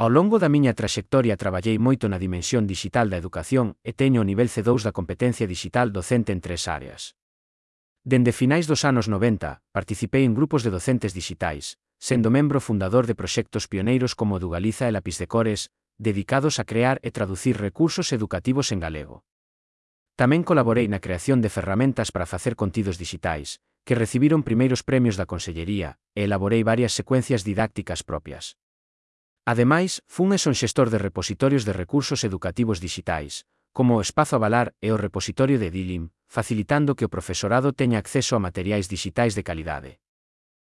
Ao longo da miña traxectoria traballei moito na dimensión dixital da educación e teño o nivel C2 da competencia dixital docente en 3 áreas. Dende finais dos anos 90, participei en grupos de docentes dixitais, sendo membro fundador de proxectos pioneiros como o do Galiza e Lápiz de Cores, dedicados a crear e traducir recursos educativos en galego. Tamén colaborei na creación de ferramentas para facer contidos dixitais, que recibiron primeiros premios da Consellería, e elaborei varias secuencias didácticas propias. Ademais, fun e son xestor de repositorios de recursos educativos dixitais, como o Espazo Avalar e o repositorio de Dilim, facilitando que o profesorado teña acceso a materiais dixitais de calidade.